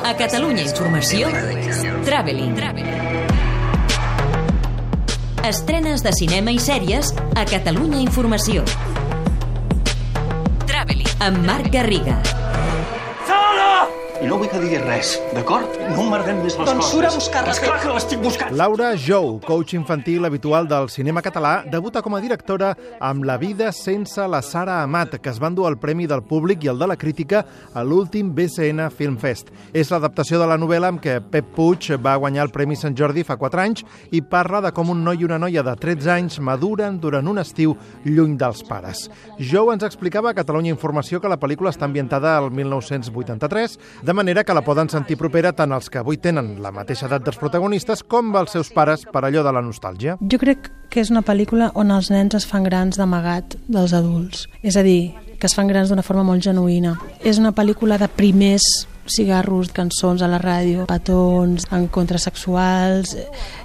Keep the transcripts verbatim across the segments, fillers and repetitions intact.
A Catalunya Informació, Traveling. Estrenes de cinema i sèries a Catalunya Informació. Traveling, amb Marc Garriga. I no vull que diguis res, d'acord? No emmerdem més les coses. Doncs surt a buscar-la. Esclar que l'estic buscant. Laura Jou, coach infantil habitual del cinema català, debuta com a directora amb La vida sense la Sara Amat, que es va endur el premi del públic i el de la crítica a l'últim B C N Film Fest. És l'adaptació de la novel·la amb què Pep Puig va guanyar el Premi Sant Jordi fa quatre anys i parla de com un noi i una noia de tretze anys maduren durant un estiu lluny dels pares. Jou ens explicava a Catalunya Informació que la pel·lícula està ambientada al mil nou-cents vuitanta-tres, de manera que la poden sentir propera tant els que avui tenen la mateixa edat dels protagonistes com els seus pares per allò de la nostàlgia. Jo crec que és una pel·lícula on els nens es fan grans d'amagat dels adults. És a dir, que es fan grans d'una forma molt genuïna. És una pel·lícula de primers cigarros, cançons a la ràdio, petons, encontres sexuals,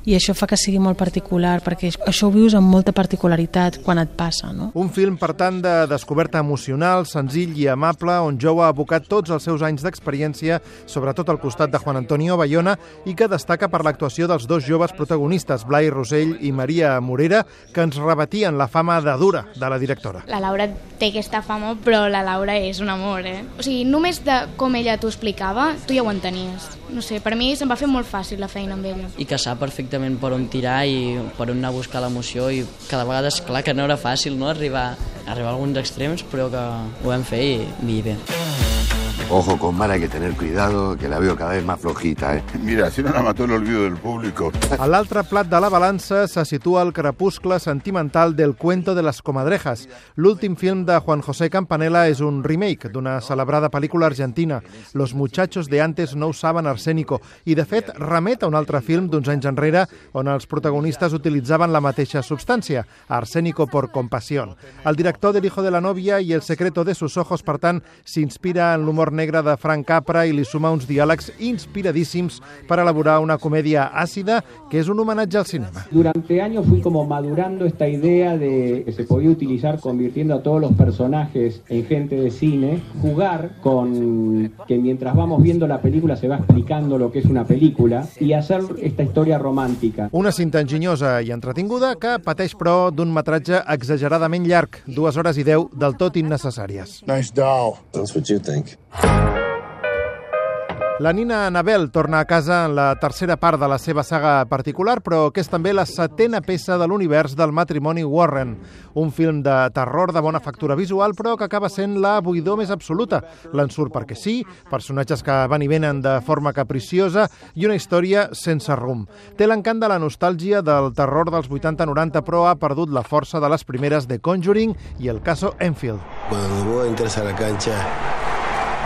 i això fa que sigui molt particular, perquè això ho vius amb molta particularitat quan et passa, no? Un film, per tant, de descoberta emocional, senzill i amable, on Jou ha abocat tots els seus anys d'experiència, sobretot al costat de Juan Antonio Bayona, i que destaca per l'actuació dels dos joves protagonistes, Blai Rossell i Maria Morera, que ens rebatien la fama de dura de la directora. La Laura té aquesta fama, però la Laura és un amor, eh? O sigui, només de com ella t'ho explica, tu ja ho entenies. No sé, per mi se'm va fer molt fàcil la feina amb ella. I que sap perfectament per on tirar i per on anar a buscar l'emoció, i cada vegada és clar que no era fàcil, no?, arribar, arribar a alguns extrems, però que ho vam fer i, i bé. Ojo, con Mara hay que tener cuidado, que la veo cada vez más flojita, ¿eh? Mira, si no la mató el olvido del público. A l'altre plat de la balança se situa el crepuscle sentimental del Cuento de las Comadrejas. L'últim film de Juan José Campanella és un remake d'una celebrada pel·lícula argentina, Los muchachos de antes no usaban arsénico, i de fet remet a un altre film d'uns anys enrere on els protagonistes utilitzaven la mateixa substància, arsénico por compasión. El director del Hijo de la novia i El secreto de sus ojos, per tant, s'inspira en l'humor negre de Frank Capra i li suma uns diàlegs inspiradíssims per elaborar una comèdia àcida que és un homenatge al cinema. Durante años fui como madurando esta idea de que se podía utilizar convirtiendo a todos los personajes en gente de cine, jugar con que mientras vamos viendo la película se va explicando lo que es una película y hacer esta historia romántica. Una cinta enginyosa i entretinguda que pateix, però, d'un metratge exageradament llarg, dues hores i deu, del tot innecessàries. Nice doll. That's what you think. La Nina Annabel torna a casa en la tercera part de la seva saga particular, però que és també la setena peça de l'univers del matrimoni Warren. Un film de terror de bona factura visual, però que acaba sent la buidor més absoluta. L'ensurt perquè sí, personatges que van i venen de forma capriciosa i una història sense rumb. Té l'encant de la nostàlgia del terror dels vuitanta noranta, però ha perdut la força de les primeres de Conjuring i el caso Enfield. Cuando vos entras a la cancha,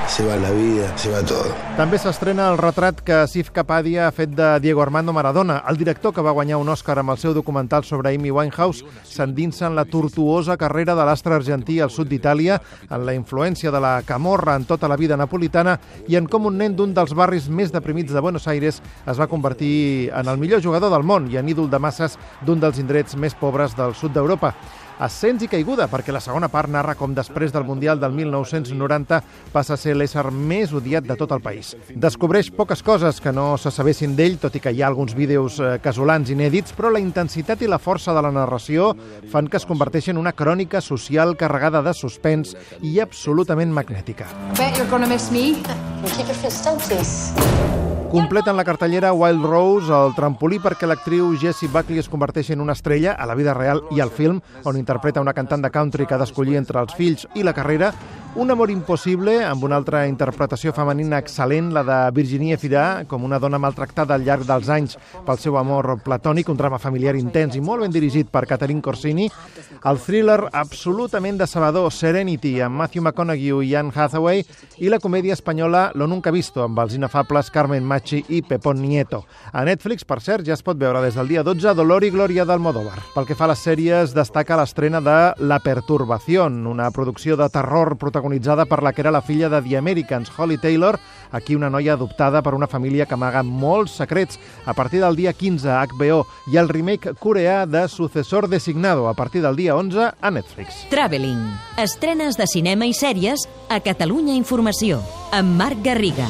se va la vida, se va todo. També s'estrena el retrat que Asif Kapadia ha fet de Diego Armando Maradona. El director, que va guanyar un Òscar amb el seu documental sobre Amy Winehouse, s'endinsa en la tortuosa carrera de l'astre argentí al sud d'Itàlia, en la influència de la camorra en tota la vida napolitana i en com un nen d'un dels barris més deprimits de Buenos Aires es va convertir en el millor jugador del món i en ídol de masses d'un dels indrets més pobres del sud d'Europa. Ascens i caiguda, perquè la segona part narra com després del Mundial del mil nou-cents noranta passa a ser l'ésser més odiat de tot el país. Descobreix poques coses que no se sabessin d'ell, tot i que hi ha alguns vídeos eh, casolans inèdits, però la intensitat i la força de la narració fan que es converteixi en una crònica social carregada de suspens i absolutament magnètica. Bet you're gonna miss me. Keep your fist still, please. Completen la cartellera Wild Rose, el trampolí perquè l'actriu Jessie Buckley es converteixi en una estrella a la vida real i al film, on interpreta una cantant de country que ha d'escollir entre els fills i la carrera. Un amor impossible, amb una altra interpretació femenina excel·lent, la de Virginie Efira, com una dona maltractada al llarg dels anys pel seu amor platònic, un drama familiar intens i molt ben dirigit per Catherine Corsini. El thriller absolutament decebedor Serenity, amb Matthew McConaughey i Anne Hathaway, i la comèdia espanyola Lo Nunca Visto, amb els inefables Carmen Machi i Pepón Nieto. A Netflix, per cert, ja es pot veure des del dia dotze Dolor i Glòria d'Almodóvar. Pel que fa a les sèries, destaca l'estrena de La Perturbación, una producció de terror protagonitzada per la que era la filla de The Americans, Holly Taylor, aquí una noia adoptada per una família que amaga molts secrets. A partir del dia quinze a H B O, i el remake coreà de Sucesor Designado, a partir del dia onze a Netflix. Traveling. Estrenes de cinema i sèries a Catalunya Informació, amb Marc Garriga.